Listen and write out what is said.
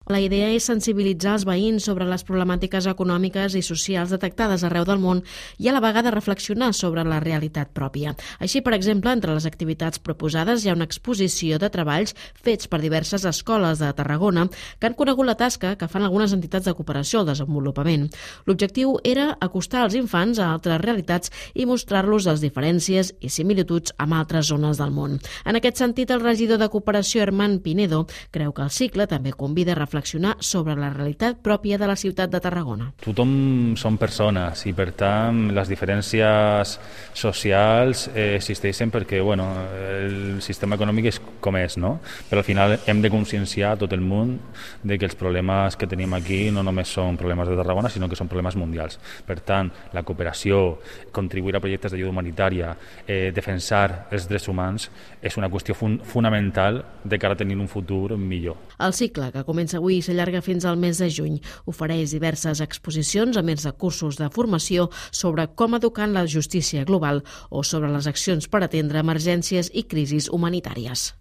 La idea és sensibilitzar els veïns sobre les problemàtiques econòmiques i socials detectades arreu del món i a la vegada reflexionar sobre la realitat pròpia. Així, per exemple, entre les activitats proposades hi ha una exposició de treballs fets per diverses escoles de Tarragona que han conegut la tasca que fan algunes entitats de cooperació al desenvolupament. L'objectiu era acostar els infants a altres realitats i mostrar-los les diferències i similituds amb altres zones del món. En aquest sentit, el regidor de Cooperació, Herman Pinedo, creu que el cicle també convida a reflexionar sobre la realitat pròpia de la ciutat de Tarragona. Tothom són persones i, per tant, les diferències socials existeixen perquè el sistema econòmic és com és, no? Però al final hem de conscienciar tot el món de que els problemes que tenim aquí no només són problemes de Tarragona, sinó que són problemes mundials. Per tant, la cooperació, contribuir a projectes d'ajuda humanitària, defensar els drets humans és una qüestió fonamental de cara a tenir un futur millor. El cicle, que comença avui i s'allarga fins al mes de juny, ofereix diverses exposicions a més de cursos de formació sobre com educar en la justícia global o sobre les accions per atendre emergències i crisis humanitàries.